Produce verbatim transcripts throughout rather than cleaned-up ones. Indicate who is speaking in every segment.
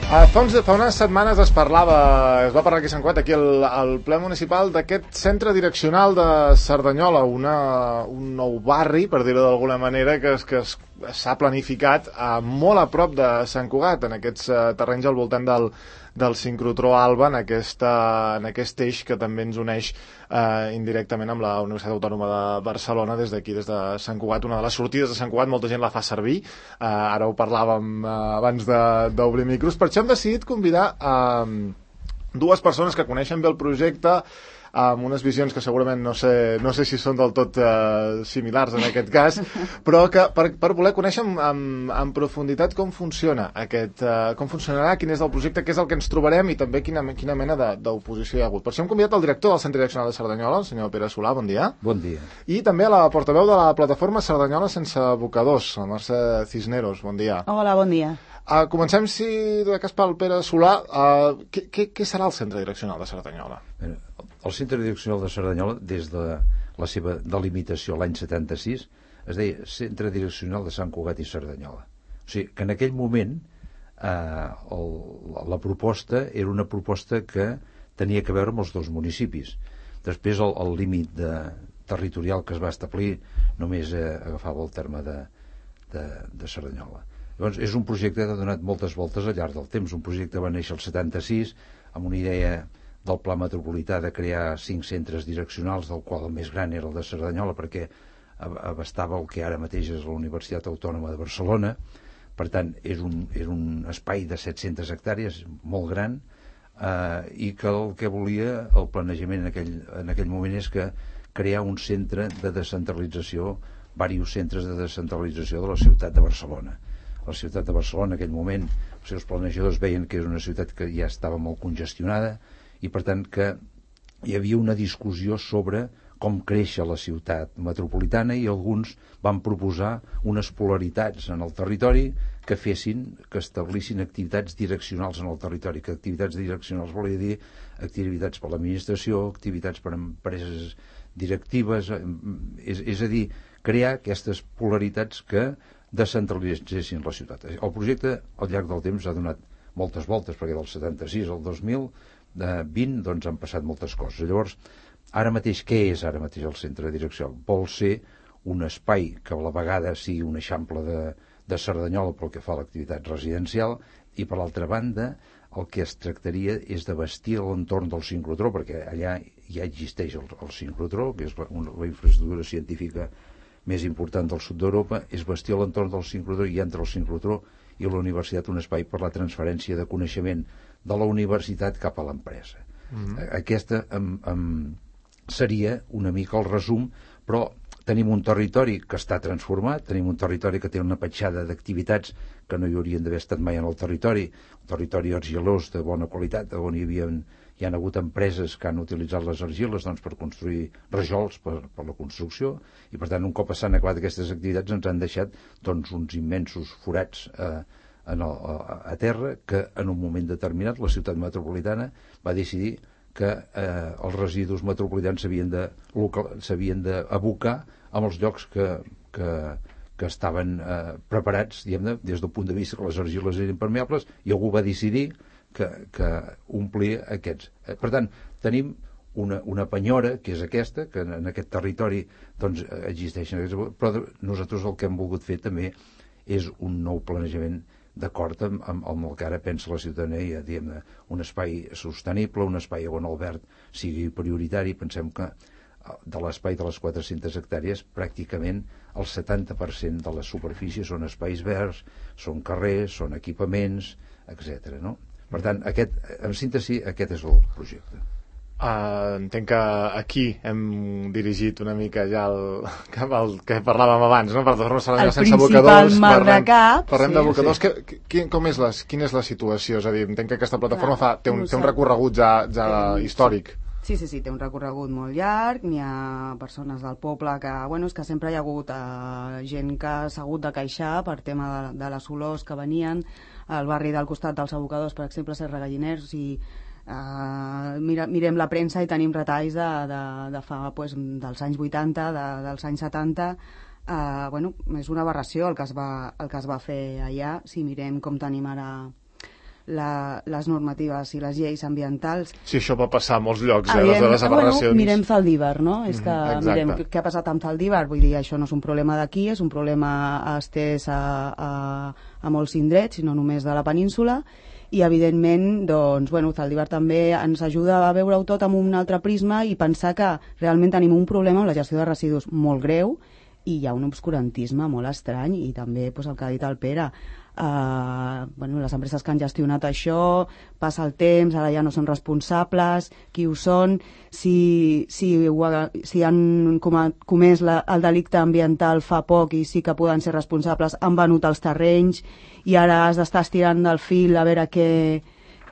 Speaker 1: Uh, fa, uns, fa unes setmanes es parlava, es va parlar aquí a Sant Cugat, aquí al, al ple municipal, d'aquest centre direccional de Cerdanyola, una, un nou barri, per dir-ho d'alguna manera, que, es, que es, s'ha planificat uh, molt a prop de Sant Cugat, en aquests uh, terrenys al voltant del, del sincrotró Alba, en, aquesta, en aquest eix que també ens uneix eh, indirectament amb la Universitat Autònoma de Barcelona, des d'aquí, des de Sant Cugat. Una de les sortides de Sant Cugat, molta gent la fa servir, eh, ara ho parlàvem eh, abans d'obrir micros. Per això hem decidit convidar eh, dues persones que coneixen bé el projecte, amb unes visions que segurament no sé, no sé si són del tot eh, similars en aquest cas, però que per, per voler conèixer en, en, en profunditat com funciona aquest, eh, com funcionarà, quin és el projecte, què és el que ens trobarem i també quina, quina mena d'oposició hi ha hagut. Per això hem convidat el director del Centre Direccional de Cerdanyola, el senyor Pere Solà, bon dia.
Speaker 2: Bon dia.
Speaker 1: I també a la portaveu de la plataforma Cerdanyola sense abocadors, la Mercè Cisneros, bon dia.
Speaker 3: Hola, bon dia.
Speaker 1: Uh, comencem, si de cas pel Pere Solà, uh, què, què, què serà el Centre Direccional de Cerdanyola?
Speaker 2: El Centre Direccional de Cerdanyola, des de la seva delimitació l'any setanta-sis, es deia Centre Direccional de Sant Cugat i Cerdanyola. O sigui, que en aquell moment eh, el, la proposta era una proposta que tenia que veure amb els dos municipis. Després el, el límit de, territorial que es va establir només eh, agafava el terme de, de, de Cerdanyola. Llavors, és un projecte que ha donat moltes voltes al llarg del temps. Un projecte va néixer el setanta-sis amb una idea del Pla Metropolità de crear cinc centres direccionals, del qual el més gran era el de Cerdanyola, perquè abastava el que ara mateix és la Universitat Autònoma de Barcelona. Per tant, és un, és un espai de set-centes hectàrees, molt gran, eh, i que el que volia el planejament en aquell, en aquell moment és que crear un centre de descentralització, diversos centres de descentralització de la ciutat de Barcelona. La ciutat de Barcelona en aquell moment, els seus planejadors veien que era una ciutat que ja estava molt congestionada, i per tant que hi havia una discussió sobre com créixer la ciutat metropolitana, i alguns van proposar unes polaritats en el territori que fessin, que establissin activitats direccionals en el territori, que activitats direccionals volia dir activitats per l'administració, activitats per empreses directives, és, és a dir, crear aquestes polaritats que descentralitzessin la ciutat. El projecte al llarg del temps ha donat moltes voltes, perquè del setanta-sis al dos mil vint doncs han passat moltes coses. Llavors, ara mateix, què és ara mateix el centre direccional? Vol ser un espai que a la vegada sigui un eixample de, de Cerdanyola pel que fa a l'activitat residencial, i per l'altra banda el que es tractaria és de vestir l'entorn del sincrotró, perquè allà ja existeix el, el sincrotró, que és la, una, la infraestructura científica més important del sud d'Europa, és vestir l'entorn del sincrotró, i entre el sincrotró i la universitat un espai per la transferència de coneixement de la universitat cap a l'empresa. Mm-hmm. Aquesta um, um, seria una mica el resum, però tenim un territori que està transformat, tenim un territori que té una petjada d'activitats que no hi haurien d'haver estat mai en el territori, un territori argilós de bona qualitat, on hi havia, hi ha hagut empreses que han utilitzat les argiles doncs, per construir rajols per, per la construcció, i per tant un cop s'han acabat aquestes activitats ens han deixat doncs, uns immensos forats eh, en el, a terra, que en un moment determinat la ciutat metropolitana va decidir que eh, els residus metropolitans s'havien de, s'havien d'abocar amb els llocs que, que, que estaven eh, preparats, diguem-ne, des del punt de vista que les argiles eren impermeables, i algú va decidir que, que omplia aquests. Per tant, tenim una, una penyora, que és aquesta, que en, en aquest territori doncs, existeixen, però nosaltres el que hem volgut fer també és un nou planejament d'acord amb, amb, amb el que ara pensa la ciutadania, diguem, un espai sostenible, un espai on el verd sigui prioritari. Pensem que de l'espai de les quatre-centes hectàrees pràcticament el setanta per cent de la superfície són espais verds, són carrers, són equipaments, etcètera. No? Per tant, aquest, en síntesi, aquest és el projecte.
Speaker 1: Uh, entenc que aquí hem dirigit una mica ja el, cap al que parlàvem abans, no? Per tornar a
Speaker 3: el
Speaker 1: sense abocadors,
Speaker 3: mal de cap,
Speaker 1: parlem
Speaker 3: sí.
Speaker 1: d'abocadors.
Speaker 3: Sí.
Speaker 1: Que, que, com és la, quina és la situació? És a dir, entenc que aquesta plataforma fa, té, un, té un recorregut ja, ja
Speaker 3: sí.
Speaker 1: històric.
Speaker 3: Sí, sí, sí, té un recorregut molt llarg, n'hi ha persones del poble que, bueno, és que sempre hi ha hagut eh, gent que s'ha hagut de queixar per tema de, de les olors que venien al barri del costat dels abocadors, per exemple, Serra Galliners, i Uh, mira, mirem la premsa i tenim retalls de, de, de fa, pues, dels anys vuitanta, de, dels anys setanta. Uh, bueno, és una aberració el que, es va, el que es va fer allà, si mirem com tenim ara la, les normatives i les lleis ambientals.
Speaker 1: Sí, això va passar a molts llocs, eh, les de les aberracions.
Speaker 3: Bueno, mirem Zaldívar, no? És que
Speaker 1: Mm,
Speaker 3: mirem
Speaker 1: exacte.
Speaker 3: què ha passat amb Zaldívar, vull dir, això no és un problema d'aquí, és un problema estès a, a, a molts indrets, no només de la península, i evidentment doncs, bueno, Zaldívar també ens ajuda a veure-ho tot amb un altre prisma i pensar que realment tenim un problema amb la gestió de residus molt greu i hi ha un obscurantisme molt estrany i també doncs, el que ha dit el Pere, uh, bueno, les empreses que han gestionat això, passa el temps, ara ja no són responsables, qui ho són, si, si, ho ha, si han comès la, el delicte ambiental fa poc i sí que poden ser responsables, han venut els terrenys i ara has d'estar estirant del fil a veure què,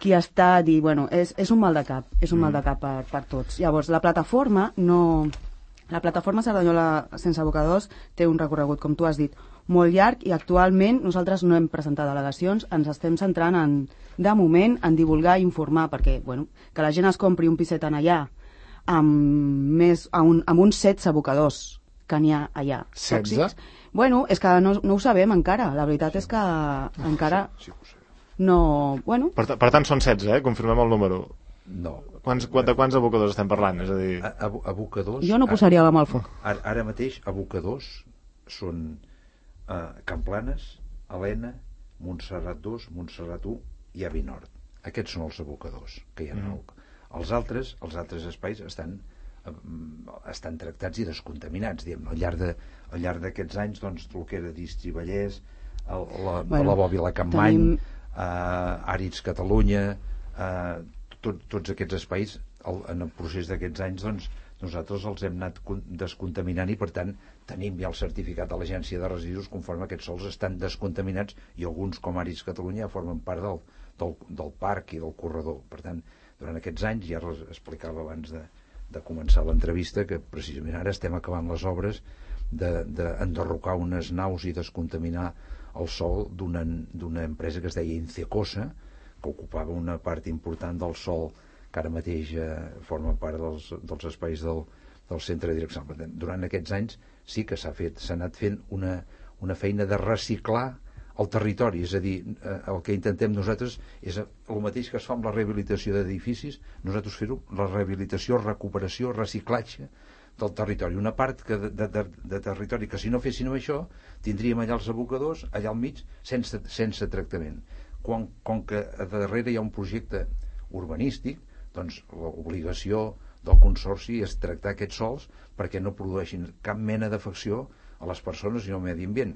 Speaker 3: qui ha estat i bueno, és, és un mal de cap, és un mm. mal de cap per, per tots. Llavors, la plataforma no... La plataforma Cerdanyola sense abocadors té un recorregut, com tu has dit, molt llarg i actualment nosaltres no hem presentat al·legacions, ens estem centrant en, de moment en divulgar i informar, perquè bueno, que la gent es compri un piset en allà amb, més, amb, un, amb uns setze abocadors que n'hi ha allà.
Speaker 1: setze?
Speaker 3: Bueno, és que no, no ho sabem encara, la veritat és que encara
Speaker 2: Sí, sí, ho sé.
Speaker 3: no... Bueno,
Speaker 1: Per, per tant, són setze, eh? Confirmem el número.
Speaker 2: No.
Speaker 1: Quants, de quants abocadors estem parlant? És a dir...
Speaker 2: A, a, abocadors...
Speaker 3: jo no posaria la mà al foc.
Speaker 2: Ara, ara mateix, abocadors són eh, Camplanes, Helena, Montserrat dos, Montserrat u i Avi Nord. Aquests són els abocadors que hi ha. Mm. Els altres, els altres espais estan, eh, estan tractats i descontaminats. Diguem, al llarg de, al llarg d'aquests anys, doncs, el que era Distri Vallès, el, la,
Speaker 3: bueno,
Speaker 2: la Bòbila Campmany,
Speaker 3: tenim...
Speaker 2: eh, Àrids Catalunya, eh, tot, tots aquests espais, el, en el procés d'aquests anys, doncs, nosaltres els hem anat descontaminant i per tant tenim ja el certificat de l'Agència de Residus conforme aquests sols estan descontaminats i alguns com Àrids Catalunya ja formen part del, del, del parc i del corredor. Per tant, durant aquests anys, ja els explicava abans de, de començar l'entrevista, que precisament ara estem acabant les obres d'enderrocar de, unes naus i descontaminar el sòl d'una empresa que es deia Incecosa, que ocupava una part important del sòl que ara mateix eh, forma part dels, dels espais del, del centre direccional. Durant aquests anys sí que s'ha fet, s'ha anat fent una, una feina de reciclar el territori, és a dir, eh, el que intentem nosaltres és el mateix que es fa amb la rehabilitació d'edificis, nosaltres fer-ho, la rehabilitació, recuperació, reciclatge del territori. Una part que de, de, de, de territori que si no féssim això tindríem allà els abocadors, allà al mig, sense, sense tractament. Quan, com que a darrere hi ha un projecte urbanístic, doncs l'obligació del Consorci és tractar aquests sòls perquè no produeixin cap mena d'afecció a les persones i al medi ambient.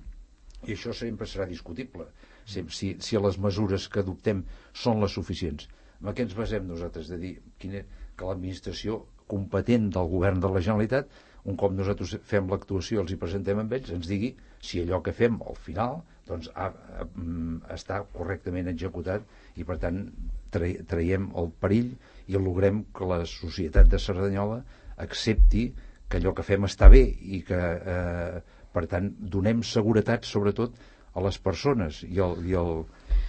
Speaker 2: I això sempre serà discutible, si, si, si les mesures que adoptem són les suficients. En què ens basem nosaltres? De dir quina, que l'administració competent del govern de la Generalitat, un cop nosaltres fem l'actuació, els hi presentem amb ells, ens digui si allò que fem al final doncs, ha, ha, està correctament executat i per tant traiem el perill i logrem que la societat de Cerdanyola accepti que allò que fem està bé i que eh, per tant donem seguretat sobretot a les persones i al, i al,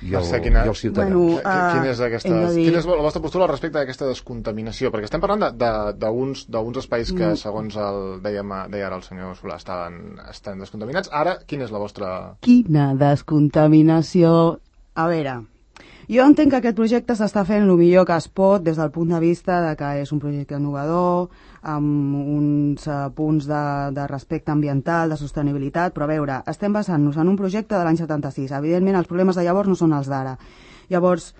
Speaker 2: i el,
Speaker 1: quina,
Speaker 2: i els ciutadans.
Speaker 3: Bueno,
Speaker 1: uh, quina, és aquesta,
Speaker 3: dir...
Speaker 1: quina és la vostra postura respecte a aquesta descontaminació? Perquè estem parlant d'uns espais que, mm. segons el, dèiem, deia ara el senyor Solà, estaven, estan descontaminats. Ara, quina és la vostra...
Speaker 3: Quina descontaminació... A veure, jo entenc que aquest projecte s'està fent el millor que es pot des del punt de vista de que és un projecte innovador, amb uns uh, punts de, de respecte ambiental, de sostenibilitat, però a veure, estem basant-nos en un projecte de l'any setanta-sis. Evidentment, els problemes de llavors no són els d'ara. Llavors,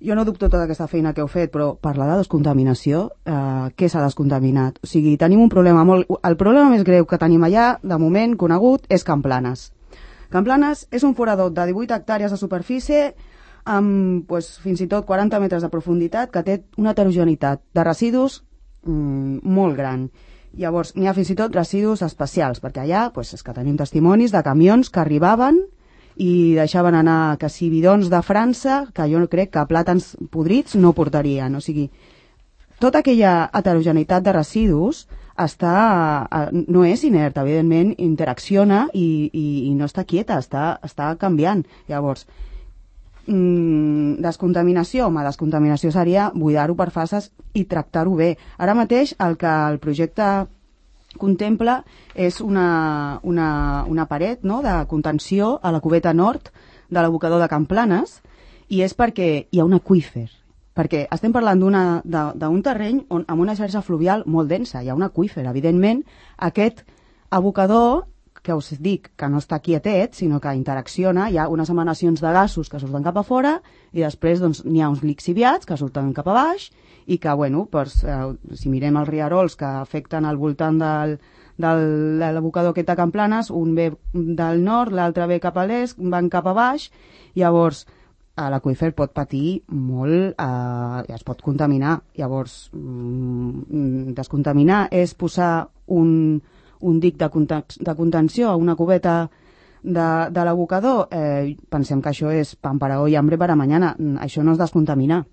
Speaker 3: jo no dubto tota aquesta feina que heu fet, però parlar de descontaminació, eh, què s'ha descontaminat? O sigui, tenim un problema molt... El problema més greu que tenim allà, de moment, conegut, és Camplanes. Camplanes és un forador de divuit hectàrees de superfície amb pues, fins i tot quaranta metres de profunditat que té una heterogeneïtat de residus mmm, molt gran. Llavors, n'hi ha fins i tot residus especials, perquè allà pues, és que tenim testimonis de camions que arribaven i deixaven anar que si bidons de França, que jo crec que plàtans podrits no portarien. O sigui, tota aquella heterogeneïtat de residus està, no és inert, evidentment interacciona i, i, i no està quieta, està, està canviant. Llavors, mmm, descontaminació, home, descontaminació seria buidar-ho per fases i tractar-ho bé. Ara mateix el que el projecte contempla és una, una, una paret, no?, de contenció a la cubeta nord de l'abocador de Camplanes i és perquè hi ha un aqüífer. Perquè estem parlant d'un terreny on, amb una xarxa fluvial molt densa, hi ha un aqüífer. Evidentment, aquest abocador, que us dic que no està quietet, sinó que interacciona, hi ha unes emanacions de gasos que surten cap a fora i després doncs, n'hi ha uns lixiviats que surten cap a baix i que, bueno, doncs, eh, si mirem els rierols que afecten al voltant del, del, de l'abocador aquest de Can Planes, un ve del nord, l'altre ve cap a l'est, van cap a baix, llavors l'aqüífer pot patir molt, eh, es pot contaminar. Llavors, mm, descontaminar és posar un, un dic de, de contenció a una cubeta de, de l'abocador. Eh, pensem que això és pan para hoy, hambre para mañana. Això no és descontaminar.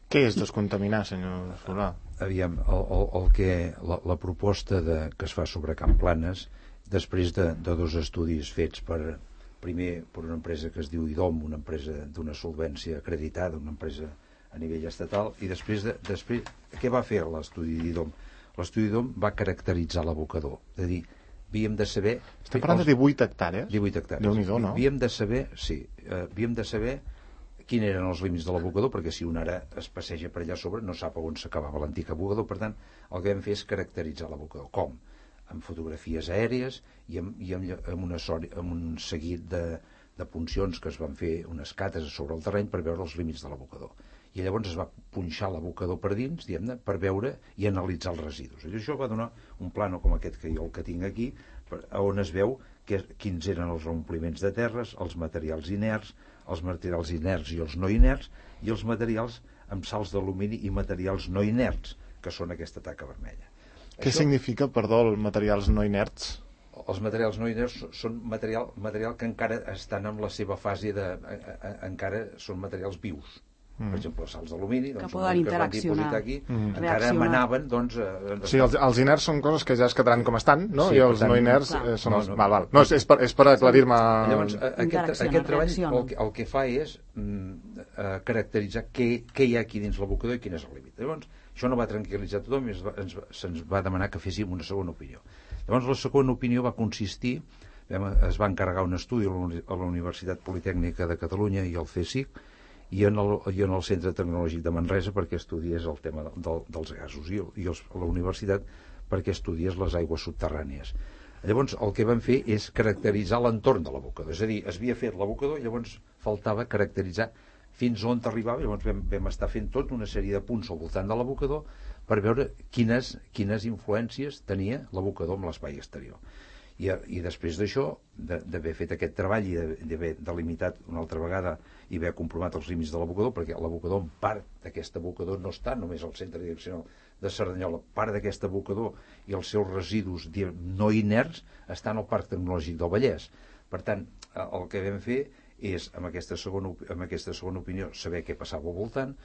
Speaker 1: Què és descontaminar, senyor Solà?
Speaker 2: Aviam, el, el, el que, la, la proposta de, que es fa sobre Can Planes, després de, de dos estudis fets per... primer per una empresa que es diu I D O M, una empresa d'una solvència acreditada, una empresa a nivell estatal, i després, de, després què va fer l'estudi d'I D O M? L'estudi d'I D O M va caracteritzar l'abocador, és a dir, havíem de saber...
Speaker 1: Estem parlant de divuit hectàrees?
Speaker 2: divuit hectàrees.
Speaker 1: Déu-n'hi-do, no?
Speaker 2: Havíem de saber, sí, eh, havíem de saber quins eren els límits de l'abocador, perquè si un ara es passeja per allà sobre no sap on s'acabava l'antic abocador, per tant, el que vam fer és caracteritzar l'abocador. Com? Amb fotografies aèries i amb, i amb, amb, una, amb un seguit de, de puncions que es van fer, unes cates sobre el terreny per veure els límits de l'abocador. I llavors es va punxar l'abocador per dins, diguem-ne, per veure i analitzar els residus. I això va donar un plano com aquest que jo el que tinc aquí, per, on es veu que, quins eren els reompliments de terres, els materials inerts, els materials inerts i els no inerts, i els materials amb sals d'alumini i materials no inerts, que són aquesta taca vermella.
Speaker 1: Què Això, significa, perdó, els materials no inerts?
Speaker 2: Els materials no inerts són material, material que encara estan en la seva fase de... A, a, encara són materials vius. Mm. Per exemple, sals d'alumini, doncs,
Speaker 3: que poden interaccionar,
Speaker 2: que aquí, mm. encara emanaven, doncs... Eh,
Speaker 1: sí, els, els inerts són coses que ja es quedaran com estan, no? Sí, I els tant, no inerts eh, són els... No, no, val, val. No, és, és per, és per aclarir-me...
Speaker 2: Llavors, aquest, aquest treball el que, el que fa és mm, eh, caracteritzar què, què hi ha aquí dins l'abocador i quin és el límit. Llavors, això no va tranquil·litzar tothom i ens va, ens, se'ns va demanar que féssim una segona opinió. Llavors, la segona opinió va consistir... Vam, es va encarregar un estudi a la Universitat Politècnica de Catalunya i al CSIC i en el, i en el Centre Tecnològic de Manresa perquè estudiés el tema del, dels gasos i, i els, a la universitat perquè estudiés les aigües subterrànies. Llavors el que vam fer és caracteritzar l'entorn de l'abocador, és a dir, es havia fet l'abocador i llavors faltava caracteritzar fins on arribava, llavors vam, vam estar fent tot una sèrie de punts al voltant de l'abocador per veure quines, quines influències tenia l'abocador amb l'espai exterior. I, i després d'això, d'haver fet aquest treball i d'haver delimitat una altra vegada i haver comprovat els límits de l'abocador, perquè l'abocador, en part d'aquest abocador, no està només al centre direccional de Cerdanyola, part d'aquest abocador i els seus residus no inerts estan al Parc Tecnològic del Vallès. Per tant, el que vam fer és, amb aquesta segona, amb aquesta segona opinió, saber què passava al voltant,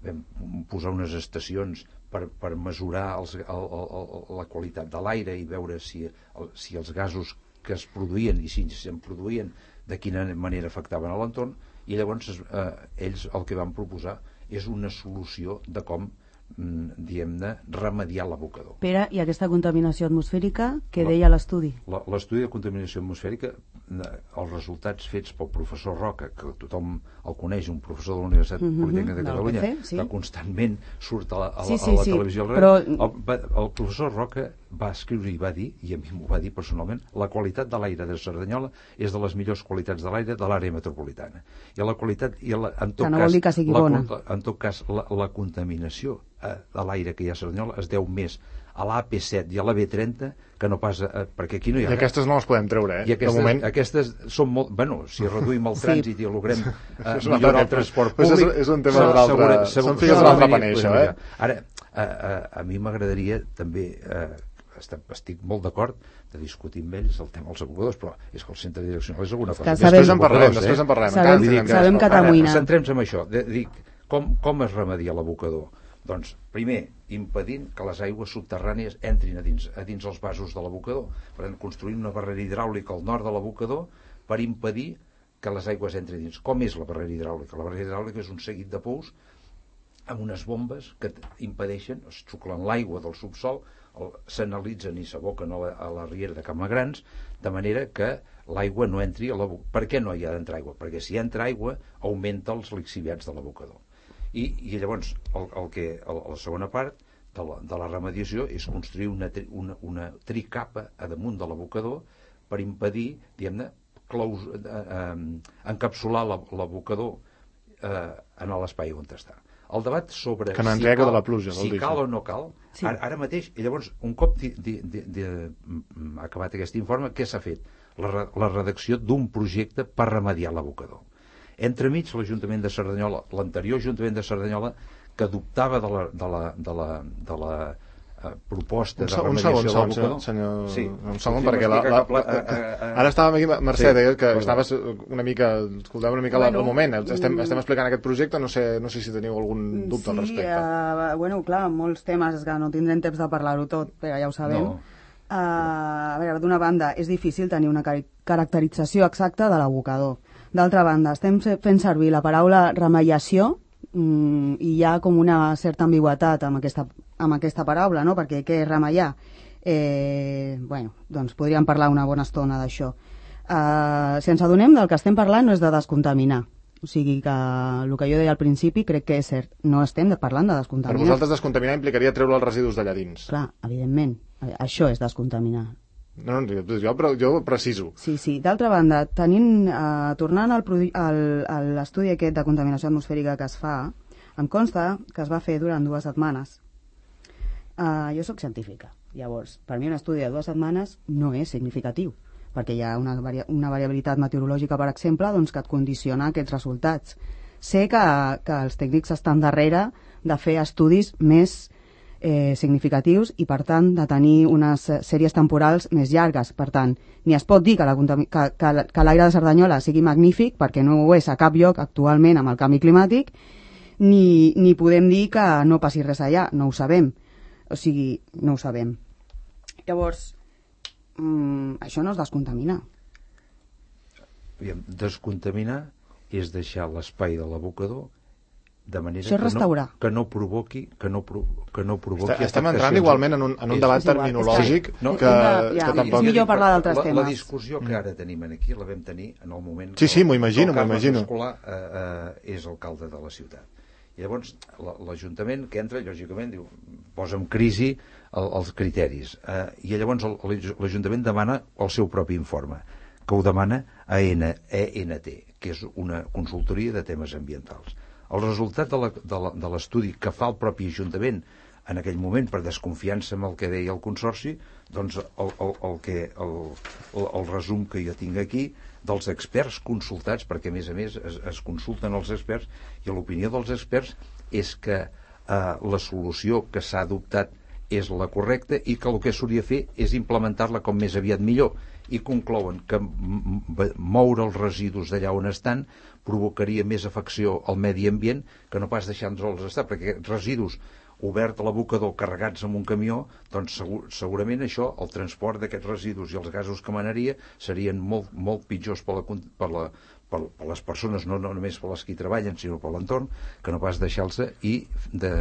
Speaker 2: vam posar unes estacions per, per mesurar els, el, el, la qualitat de l'aire i veure si, el, si els gasos que es produïen i si se'n produïen de quina manera afectaven a l'entorn, i llavors eh, ells el que van proposar és una solució de com diguem-ne, remediar l'abocador.
Speaker 3: Pere, i aquesta contaminació atmosfèrica, què deia l'estudi?
Speaker 2: L'estudi de contaminació atmosfèrica, els resultats fets pel professor Roca, que tothom el coneix, un professor de la Universitat mm-hmm, Politècnica de Catalunya, P C, sí. Que constantment surt a la, a la, sí, sí, a la televisió. Sí, però... el, el professor Roca va escriure i va dir, i a mi m'ho va dir personalment, la qualitat de l'aire de Cerdanyola és de les millors qualitats de l'aire de l'àrea metropolitana. I la qualitat, i la, en tot
Speaker 3: que no
Speaker 2: cas,
Speaker 3: vol dir que sigui
Speaker 2: la,
Speaker 3: bona.
Speaker 2: En tot cas, la, la contaminació de l'aire que hi ha a Cerdanyola es deu més a l'A P set i a la B trenta que no pas a, perquè aquí no hi ha
Speaker 1: i aquestes no les podem treure, eh?
Speaker 2: I aquestes,
Speaker 1: de moment...
Speaker 2: aquestes són molt... Bueno, si reduïm el trànsit sí. I logrem eh,
Speaker 1: millorar
Speaker 2: el transport públic...
Speaker 1: Pues és, és un tema d'un altre... Són figues de l'altre paner, això, eh?
Speaker 2: Ara, a, a, a mi m'agradaria també... Eh, estic molt d'acord de discutir amb ells el tema dels abocadors, però és que el centre direccional és alguna cosa.
Speaker 1: Després en parlarem, després en parlarem.
Speaker 3: Sabem,
Speaker 1: Sabem,
Speaker 3: sabem que t'amoïna.
Speaker 2: Centrem-nos en això. De, dic, com, com es remedia l'abocador? Doncs, primer, impedint que les aigües subterrànies entrin a dins, a dins els vasos de l'abocador. Per tant, construint una barrera hidràulica al nord de l'abocador per impedir que les aigües entrin dins. Com és la barrera hidràulica? La barrera hidràulica és un seguit de pous amb unes bombes que impedeixen, es xuclen l'aigua del subsol, s'analitzen i s'aboquen a, la, a la riera de Camagrans, de manera que l'aigua no entri a l'abocador. Per què no hi ha d'entrar aigua? Perquè si entra aigua augmenta els lixiviats de l'abocador. I, i llavors el, el que, el, la segona part de la, de la remediació és construir una, una, una tricapa a damunt de l'abocador per impedir, diguem-ne, claus, eh, eh, encapsular l'abocador eh, en l'espai on està. El debat sobre
Speaker 1: que no
Speaker 2: si,
Speaker 1: cal,
Speaker 2: de
Speaker 1: la pluja,
Speaker 2: si cal o no cal, sí. ara, ara mateix, i llavors, un cop di, di, di, di, acabat aquest informe, què s'ha fet? La, la redacció d'un projecte per remediar l'abocador. Entremig, l'Ajuntament de Cerdanyola, l'anterior Ajuntament de Cerdanyola, que adoptava de la, de la, de la, de la uh, proposta
Speaker 1: un,
Speaker 2: de remediació
Speaker 1: un segon,
Speaker 2: de l'abocador...
Speaker 1: senyor,
Speaker 2: sí.
Speaker 1: un segon, sí, perquè la, la, la, la, uh, ara estàvem aquí, Mercè, sí, que estaves una mica, escoltàvem una mica bueno, el moment, estem, estem explicant aquest projecte, no sé, no sé si teniu algun dubte
Speaker 3: sí,
Speaker 1: al respecte.
Speaker 3: Uh, bueno, clar, molts temes que no tindrem temps de parlar-ho tot, però ja ho sabem. No. Uh, a veure, d'una banda, és difícil tenir una car caracterització exacta de l'abocador. D'altra banda, estem fent servir la paraula remediació mm, i hi ha com una certa ambigüitat amb aquesta, amb aquesta paraula, no? Perquè què és remediar? Eh, bueno, doncs podríem parlar una bona estona d'això. Uh, si ens adonem del que estem parlant no és de descontaminar. O sigui que el que jo deia al principi crec que és cert. No estem parlant de descontaminar.
Speaker 1: Per vosaltres descontaminar implicaria treure els residus d'allà dins.
Speaker 3: Clar, evidentment. Això és descontaminar.
Speaker 1: No, no, jo, jo preciso.
Speaker 3: Sí, sí. D'altra banda, tenint, eh, tornant al, al, a l'estudi aquest de contaminació atmosfèrica que es fa, em consta que es va fer durant dues setmanes. Eh, jo sóc científica. Llavors, per mi un estudi de dues setmanes no és significatiu, perquè hi ha una, varia una variabilitat meteorològica, per exemple, doncs, que et condiciona aquests resultats. Sé que, que els tècnics estan darrere de fer estudis més Eh, significatius i, per tant, de tenir unes sèries temporals més llargues. Per tant, ni es pot dir que l'aire que, que, que de Cerdanyola sigui magnífic, perquè no ho és a cap lloc actualment amb el canvi climàtic, ni, ni podem dir que no passi res allà. No ho sabem. O sigui, no ho sabem. Llavors, mm, això no és descontaminar.
Speaker 2: Descontaminar és deixar l'espai de l'abocador de manera
Speaker 3: això és
Speaker 2: que no, que no provoqui que no, que no provoqui
Speaker 1: Està, estem entrant igualment en un, en un és, debat terminològic és,
Speaker 2: no,
Speaker 1: que,
Speaker 3: una, ja,
Speaker 1: que tampoc...
Speaker 3: és millor parlar d'altres temes.
Speaker 2: La discussió que ara tenim aquí la vam tenir en el moment
Speaker 1: sí, sí, m'ho imagino, m'ho imagino.
Speaker 2: Escolar eh, eh, és alcalde de la ciutat i llavors l'Ajuntament que entra lògicament diu, posa en crisi el, els criteris eh, i llavors l'Ajuntament demana el seu propi informe que ho demana a E N T, que és una consultoria de temes ambientals. El resultat de l'estudi que fa el propi Ajuntament en aquell moment, per desconfiança amb el que deia el Consorci, doncs el, el, el, que, el, el, el resum que jo tinc aquí dels experts consultats, perquè a més a més es, es consulten els experts, i l'opinió dels experts és que eh, la solució que s'ha adoptat és la correcta i que el que s'hauria de fer és implementar-la com més aviat millor, i conclouen que moure els residus d'allà on estan provocaria més afecció al medi ambient que no pas deixar-nos estar, perquè residus obert a l'abocador carregats amb un camió, doncs segur, segurament això, el transport d'aquests residus i els gasos que emanaria serien molt, molt pitjors per, la, per, la, per, per les persones, no, no només per les que hi treballen, sinó per l'entorn, que no pas deixar-los i de,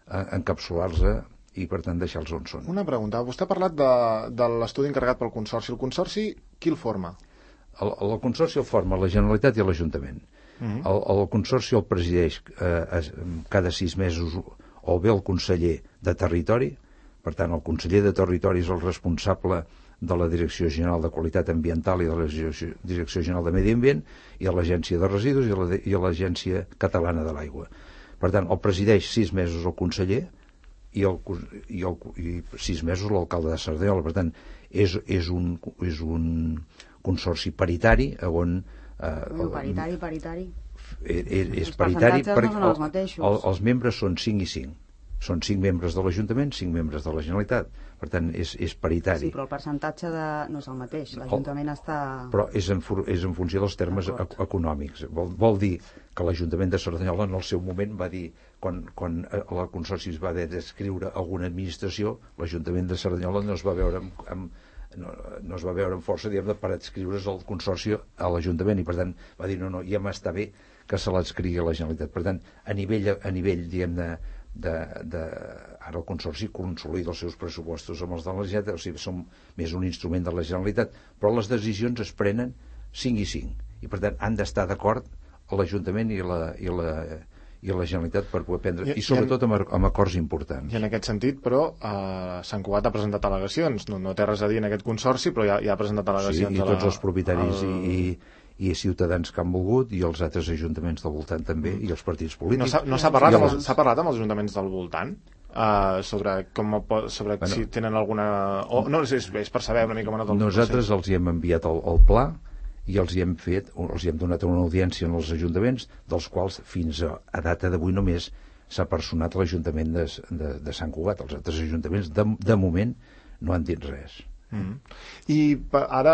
Speaker 2: eh, encapsular-los i per tant deixar-los on són.
Speaker 1: Una pregunta, vostè ha parlat de, de l'estudi encarregat pel Consorci. El Consorci, qui el forma?
Speaker 2: El, el Consorci el forma la Generalitat i l'Ajuntament. Uh -huh. el, el Consorci el presideix eh, cada sis mesos o bé el conseller de Territori, per tant el conseller de Territori és el responsable de la Direcció General de Qualitat Ambiental i de la Direcció General de Medi Ambient, i a l'Agència de Residus i a l'Agència Catalana de l'Aigua. Per tant, el presideix sis mesos el conseller i, el, i, el, i sis mesos l'alcalde de Cerdanyola. Per tant, és, és, un, és un consorci paritari on...
Speaker 3: Eh, no, paritari, paritari.
Speaker 2: És, és paritari perquè
Speaker 3: no
Speaker 2: el, el, els membres són cinc i cinc. Són cinc membres de l'Ajuntament, cinc membres de la Generalitat. Per tant, és, és paritari.
Speaker 3: Sí, però el percentatge de... no és el mateix. L'Ajuntament està...
Speaker 2: Però és en, és en funció dels termes econòmics. Vol, vol dir que l'Ajuntament de Cerdanyola en el seu moment va dir, quan, quan el Consorci es va haver d'escriure alguna administració, l'Ajuntament de Cerdanyola no es va veure amb, amb no, no es va veure amb força, diguem, per adscriure's el Consorci a l'Ajuntament, i per tant va dir, no, no, ja m'està bé que se l'adscrigui a la Generalitat. Per tant, a nivell, a nivell diguem-ne, de, de, ara el Consorci consolida els seus pressupostos amb els de la Generalitat, o sigui, són més un instrument de la Generalitat, però les decisions es prenen cinc i cinc, i per tant han d'estar d'acord l'Ajuntament i la, i la, i la Generalitat per poder prendre, i, i sobretot amb, amb acords importants.
Speaker 1: I en aquest sentit, però, eh, Sant Cugat ha presentat al·legacions, no, no té res a dir en aquest consorci, però ja, ja ha presentat al·legacions.
Speaker 2: Sí, i
Speaker 1: a la,
Speaker 2: tots els propietaris
Speaker 1: al...
Speaker 2: i, i ciutadans que han volgut, i els altres ajuntaments del voltant també, i els partits polítics.
Speaker 1: No s'ha parlat, amb els, parlat amb els ajuntaments del voltant? Uh, sobre com sobre bueno, si tenen alguna... O, no, és, és per saber una mica com ha anat el
Speaker 2: nosaltres procés. Els hi hem enviat el, el pla i els hi hem fet, els hi hem donat una audiència en els ajuntaments, dels quals fins a, a data d'avui només s'ha personat l'Ajuntament de, de, de Sant Cugat. Els altres ajuntaments de, de moment no han dit res.
Speaker 1: Mm. I ara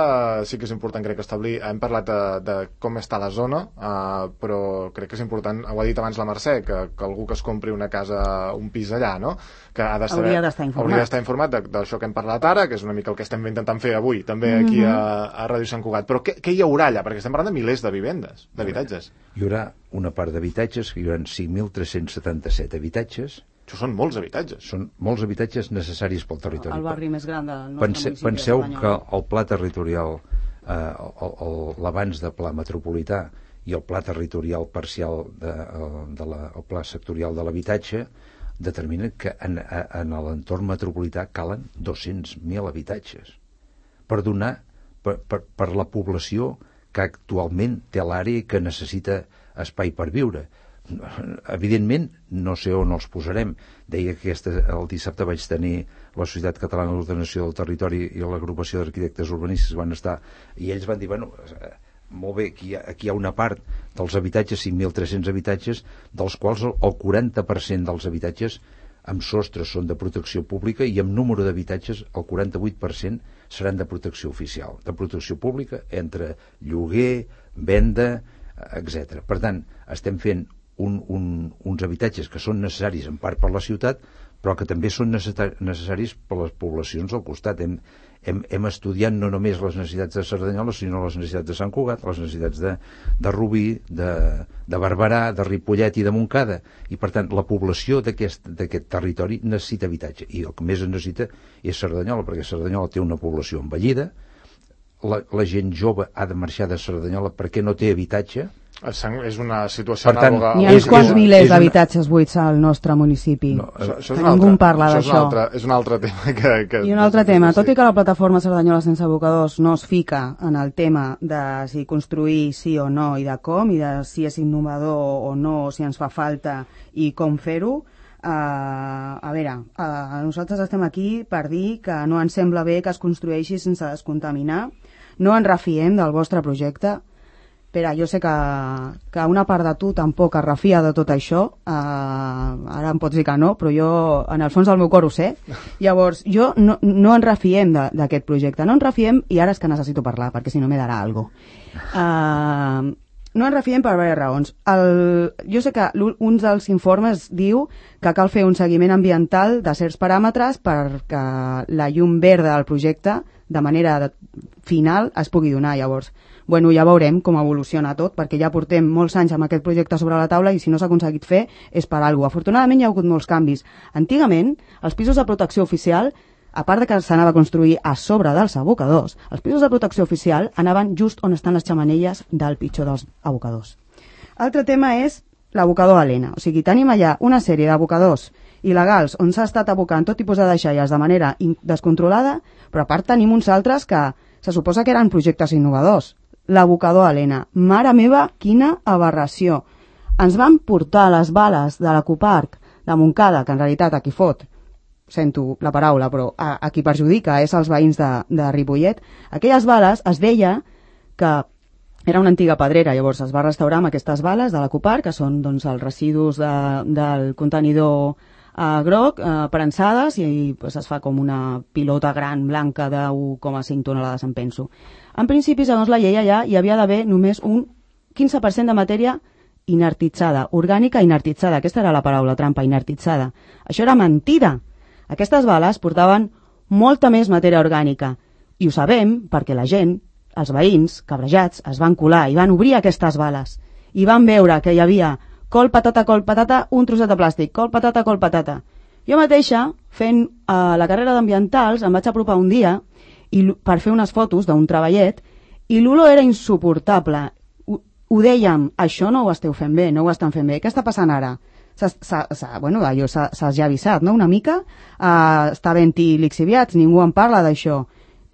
Speaker 1: sí que és important, crec, establir, hem parlat de, de com està la zona, uh, però crec que és important, ho ha dit abans la Mercè, que, que algú que es compri una casa, un pis allà, no? Que ha d'estar,
Speaker 3: hauria d'estar informat,
Speaker 1: hauria d'estar informat d'això que hem parlat ara, que és una mica el que estem intentant fer avui també aquí a, a Ràdio Sant Cugat. Però què, què hi haurà allà? Perquè estem parlant de milers de vivendes, d'habitatges.
Speaker 2: Hi haurà una part d'habitatges, que hi haurà cinc mil tres-cents setanta-set habitatges.
Speaker 1: Això són molts habitatges.
Speaker 2: Són molts habitatges necessaris pel territori.
Speaker 3: El barri més gran del nostre
Speaker 2: Pense,
Speaker 3: municipi.
Speaker 2: Penseu que el pla territorial, eh, l'abans de pla metropolità i el pla territorial parcial, de, de la, el pla sectorial de l'habitatge, determinen que en, en l'entorn metropolità calen dos-cents mil habitatges per donar, per, per, per la població que actualment té l'àrea i que necessita espai per viure. Evidentment no sé on els posarem. Deia que aquesta, el dissabte vaig tenir la Societat Catalana d'Ordenació del Territori i l'agrupació d'arquitectes urbanistes van estar, i ells van dir, bueno, molt bé, aquí hi ha, aquí hi ha una part dels habitatges, cinc mil tres-cents habitatges, dels quals el quaranta per cent dels habitatges amb sostres són de protecció pública, i amb número d'habitatges el quaranta-vuit per cent seran de protecció oficial, de protecció pública, entre lloguer, venda, etcètera. Per tant, estem fent Un, un, uns habitatges que són necessaris en part per la ciutat, però que també són necessaris per les poblacions al costat. Hem, hem, hem estudiat no només les necessitats de Cerdanyola, sinó les necessitats de Sant Cugat, les necessitats de, de Rubí, de, de Barberà, de Ripollet i de Montcada, i per tant la població d'aquest territori necessita habitatge, i el que més necessita és Cerdanyola, perquè Cerdanyola té una població envellida, la, la gent jove ha de marxar de Cerdanyola perquè no té habitatge.
Speaker 1: És una situació
Speaker 3: anàloga. Hi ha uns quants milers d'habitatges buits al nostre municipi. No,
Speaker 1: això, això
Speaker 3: que ningú altre, parla d'això.
Speaker 1: És un altre tema. Que, que
Speaker 3: I un altre tema. Tot i que la plataforma Cerdanyola sense abocadors no es fica en el tema de si construir sí o no i de com, i de si és innovador o no, si ens fa falta i com fer-ho, uh, a veure, uh, nosaltres estem aquí per dir que no ens sembla bé que es construeixi sense descontaminar. No ens refiem del vostre projecte. Pere, jo sé que, que una part de tu tampoc es refia de tot això, uh, ara em pots dir que no, però jo en el fons del meu cor ho sé. Llavors, jo no, no ens refiem d'aquest projecte, no ens refiem, i ara és que necessito parlar, perquè si no me darà alguna cosa. Uh, no ens refiem per diverses raons. El, jo sé que un dels informes diu que cal fer un seguiment ambiental de certs paràmetres perquè la llum verda del projecte, de manera de, final, es pugui donar. Llavors, bueno, ja veurem com evoluciona tot, perquè ja portem molts anys amb aquest projecte sobre la taula, i si no s'ha aconseguit fer és per alguna cosa. Afortunadament hi ha hagut molts canvis. Antigament, els pisos de protecció oficial, a part de que s'anava a construir a sobre dels abocadors, els pisos de protecció oficial anaven just on estan les xemeneies del pitjor dels abocadors. Altre tema és l'abocador Helena. O sigui, tenim allà una sèrie d'abocadors il·legals on s'ha estat abocant tot tipus de deixalles de manera descontrolada, però a part tenim uns altres que se suposa que eren projectes innovadors. L'abocador Helena. Mare meva, quina aberració. Ens van portar les bales de l'Ecoparc de Montcada, que en realitat a qui fot, sento la paraula, però a, a qui perjudica és als veïns de, de Ripollet. Aquelles bales es deia que era una antiga pedrera, llavors es va restaurar amb aquestes bales de l'Ecoparc, que són doncs, els residus de, del contenidor eh, groc, eh, prensades, i, i pues, es fa com una pilota gran blanca de u coma cinc tonelades, em penso. En principi, segons la llei, allà hi havia d'haver només un quinze per cent de matèria inertitzada, orgànica inertitzada. Aquesta era la paraula trampa, inertitzada. Això era mentida. Aquestes bales portaven molta més matèria orgànica. I ho sabem perquè la gent, els veïns, cabrejats, es van colar i van obrir aquestes bales. I van veure que hi havia col, patata, col, patata, un trosset de plàstic, col, patata, col, patata. Jo mateixa, fent uh, la carrera d'ambientals, em vaig apropar un dia i, per fer unes fotos d'un treballet i l'olor era insuportable. Ho, ho dèiem, això no ho esteu fent bé, no ho estan fent bé. Què està passant ara? S'ha, s'ha, bueno, allò s'ha ja avisat, no?, una mica. Uh, està havent-hi lixiviats, ningú en parla d'això.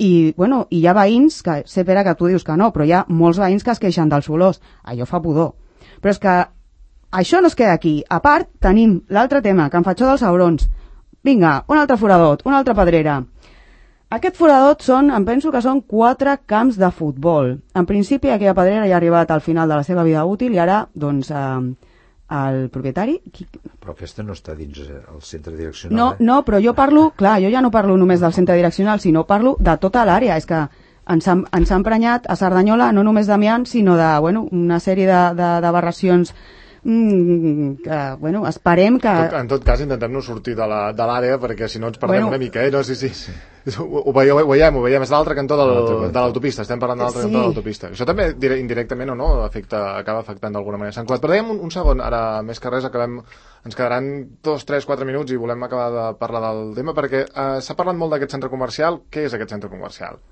Speaker 3: I, bueno, i hi ha veïns, que sé, Pere, que tu dius que no, però hi ha molts veïns que es queixen dels olors. Allò fa pudor. Però és que això no es queda aquí. A part, tenim l'altre tema, que em faig dels aurons. Vinga, un altre foradot, una altra pedrera. Aquest foradot són, em penso que són quatre camps de futbol. En principi, aquella pedrera ja ha arribat al final de la seva vida útil i ara, doncs, eh, el propietari... Qui...
Speaker 2: Però aquesta no està dins el centre direccional,
Speaker 3: no,
Speaker 2: eh?
Speaker 3: No, però jo parlo, clar, jo ja no parlo només del centre direccional, sinó parlo de tota l'àrea. És que ens ha, ens ha emprenyat a Cerdanyola no només d'amiant, sinó de, bueno, una sèrie de, de, d'aberracions mm, que, bueno, esperem que...
Speaker 1: Tot, en tot cas, intentem no sortir de la- de l'àrea, perquè si no ens perdem
Speaker 3: Bueno.
Speaker 1: una mica, eh? No, sí, sí. sí. Ho, ho, veieu, ho veiem, ho veiem. És l'altre cantó del,
Speaker 2: L'altre cantó.
Speaker 1: de l'autopista. Estem parlant de l'altre
Speaker 3: Sí.
Speaker 1: cantó de l'autopista. Això també, dire- indirectament o no, afecta, acaba afectant d'alguna manera Sant Cugat. Però dèiem un, un segon, ara més que res, acabem, ens quedaran dos, tres, quatre minuts i volem acabar de parlar del tema, perquè eh, s'ha parlat molt d'aquest centre comercial. Què és aquest centre comercial?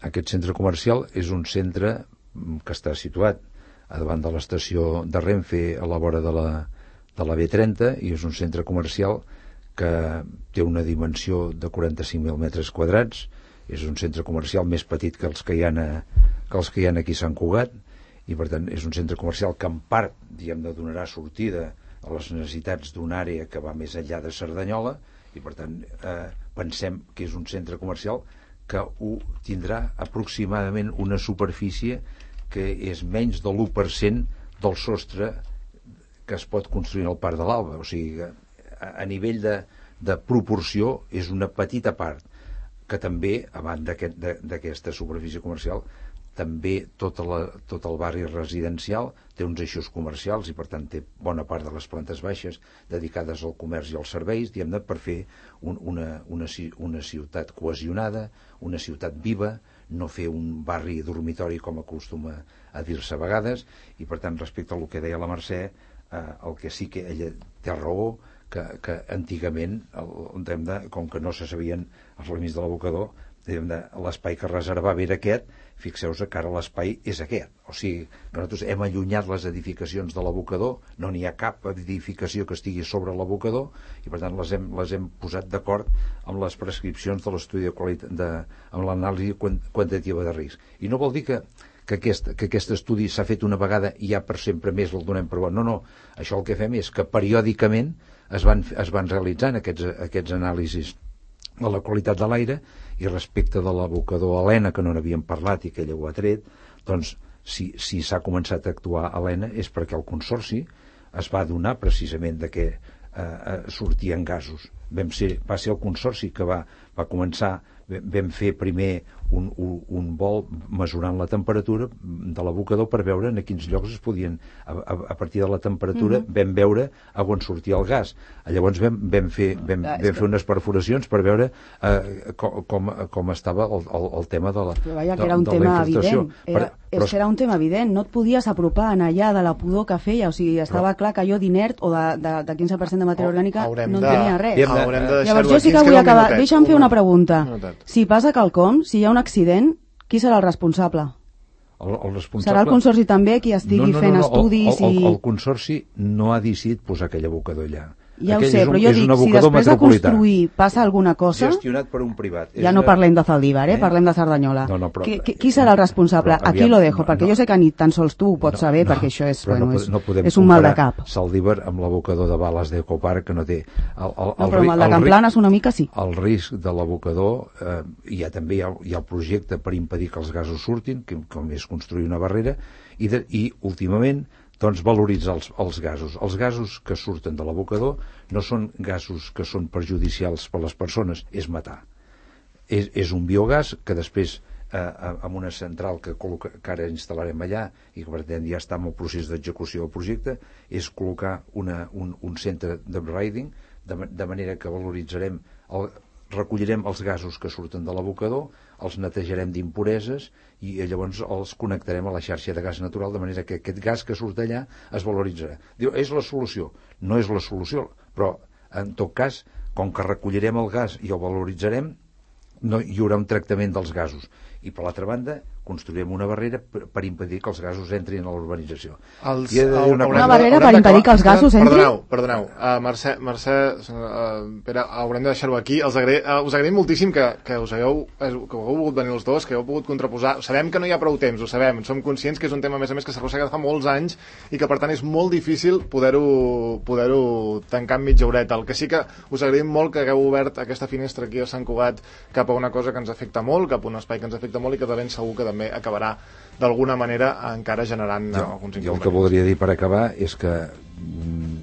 Speaker 2: Aquest centre comercial és un centre que està situat a davant de l'estació de Renfe a la vora de la, de la B trenta i és un centre comercial que té una dimensió de quaranta-cinc mil metres quadrats. És un centre comercial més petit que els que hi ha, a, que els que hi ha aquí a Sant Cugat i per tant és un centre comercial que en part diguem, de donarà sortida a les necessitats d'una àrea que va més enllà de Cerdanyola i per tant eh, pensem que és un centre comercial que ho tindrà aproximadament una superfície que és menys de l'u per cent del sostre que es pot construir al Parc de l'Alba. O sigui, a, a nivell de, de proporció és una petita part que també, a banda d'aquest, de, d'aquesta superfície comercial, també tota la, tot el barri residencial té uns eixos comercials i per tant té bona part de les plantes baixes dedicades al comerç i als serveis, diguem-ne, per fer un, una, una, una ciutat cohesionada, una ciutat viva, no fer un barri dormitori com acostuma a dir-se a vegades i per tant respecte al que deia la Mercè, eh, el que sí que ella té raó que, que antigament el, de, com que no se sabien els límits de l'abocador, l'espai que reservava era aquest. Fixeu-vos que ara l'espai és aquest, o sigui que nosaltres hem allunyat les edificacions de l'abocador, no n'hi ha cap edificació que estigui sobre l'abocador i per tant les hem, les hem posat d'acord amb les prescripcions de l'estudi de qualitat de, amb l'anàlisi quantitativa de risc. I no vol dir que que aquest, que aquest estudi s'ha fet una vegada i ja per sempre més el donem per bo. No, no, això el que fem és que periòdicament es van, es van realitzant aquests, aquests anàlisis de la qualitat de l'aire i respecte de l'abocador Helena, que no n'havíem parlat i que ella ho ha tret, doncs si, si s'ha començat a actuar a Helena és perquè el Consorci es va adonar precisament de que eh, sortien gasos. Vam ser, va ser el Consorci que va, va començar, vam fer primer un, un, un vol mesurant la temperatura de l'abocador per veure en quins llocs es podien, a, a, a partir de la temperatura mm-hmm. vam veure a on sortia el gas. Llavors vam, vam, fer, vam, ah, vam fer unes perforacions per veure eh, com, com, com estava el, el, el tema de la
Speaker 3: però vaja,
Speaker 2: de,
Speaker 3: que era un
Speaker 2: de
Speaker 3: tema
Speaker 2: la infiltració.
Speaker 3: evident. Era, però, era un tema evident. No et podies apropar en allà de la pudor que feia. O sigui, estava però, clar que allò d'inert o de, de, de quinze per cent de matèria orgànica no en tenia res.
Speaker 1: De, haurem de
Speaker 3: Llavors jo sí que vull acabar. Deixa'm fer una pregunta. Si passa quelcom, si hi ha un accident, qui serà el responsable?
Speaker 2: El, el responsable...
Speaker 3: Serà el Consorci també qui estigui no, no, no,
Speaker 2: fent
Speaker 3: no,
Speaker 2: estudis
Speaker 3: el, el,
Speaker 2: i... El, el Consorci no ha decidit posar aquell abocador allà.
Speaker 3: Ja
Speaker 2: Aquell
Speaker 3: ho sé,
Speaker 2: un,
Speaker 3: però jo dic, si després de construir passa alguna cosa...
Speaker 2: Gestionat per un privat.
Speaker 3: Ja no parlem de Zaldívar, eh? eh? Parlem de Cerdanyola.
Speaker 2: No, no, però,
Speaker 3: qui, qui serà el responsable? Però, aviam, Aquí lo dejo, no, perquè no, jo sé que ni tan sols tu ho pots no, saber, no, perquè això és, bueno,
Speaker 2: no,
Speaker 3: és,
Speaker 2: no
Speaker 3: és un mal de cap.
Speaker 2: Zaldívar amb l'abocador de bales d'Ecoparc, que no té... El, el,
Speaker 3: no, però amb el de Camplanes una mica sí.
Speaker 2: El risc de l'abocador, eh, hi ha també hi ha, hi ha el projecte per impedir que els gasos surtin, que, com és construir una barrera, i, de, i últimament doncs valoritzar els, els gasos. Els gasos que surten de l'abocador no són gasos que són perjudicials per a les persones, és matar. És, és un biogàs que després, eh, amb una central que, col·loca, que ara instal·larem allà i que per tant ja està en el procés d'execució del projecte, és col·locar una, un, un centre d'upgrading de, de manera que valoritzarem el, recollirem els gasos que surten de l'abocador, els netejarem d'impureses i llavors els connectarem a la xarxa de gas natural, de manera que aquest gas que surt allà es valoritzarà. Diu, és la solució? No és la solució, però en tot cas, com que recollirem el gas i el valoritzarem, no hi haurà un tractament dels gasos. I per l'altra banda, construirem una barrera per, per impedir que els gasos entrin a la urbanització.
Speaker 1: Els,
Speaker 2: I he de dir una,
Speaker 3: una barrera per impedir que els gasos entrin?
Speaker 1: Perdoneu, perdoneu. Uh, Mercè, Mercè uh, Pere, haurem de deixar-ho aquí. Els agra... uh, us agraïm moltíssim que, que, us hagueu, que hagueu volgut venir els dos, que heu pogut contraposar. Sabem que no hi ha prou temps, ho sabem. Som conscients que és un tema, a més a més, que s'arrossega fa molts anys i que, per tant, és molt difícil poder-ho poder-ho tancar en mitja horeta. El que sí que us agraïm molt que hagueu obert aquesta finestra aquí a Sant Cugat cap a una cosa que ens afecta molt, cap a un espai que ens afecta molt i que de ben segur que també acabarà d'alguna manera encara generant jo, alguns inconvenients.
Speaker 2: Jo el que voldria dir per acabar és que mm,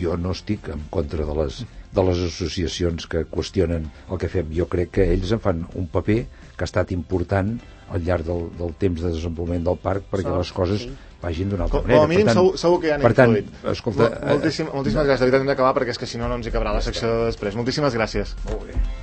Speaker 2: jo no estic en contra de les, de les associacions que qüestionen el que fem. Jo crec que ells en fan un paper que ha estat important al llarg del, del temps de desenvolupament del parc perquè so, les coses sí. vagin d'una altra manera.
Speaker 1: Com a mínim tant, segur, segur que hi han
Speaker 2: per tant,
Speaker 1: influït.
Speaker 2: Escolta,
Speaker 1: Moltíssim, moltíssimes gràcies. De veritat hem d'acabar perquè és que si no no ens hi cabrà la secció de després. Moltíssimes gràcies.
Speaker 2: Molt bé.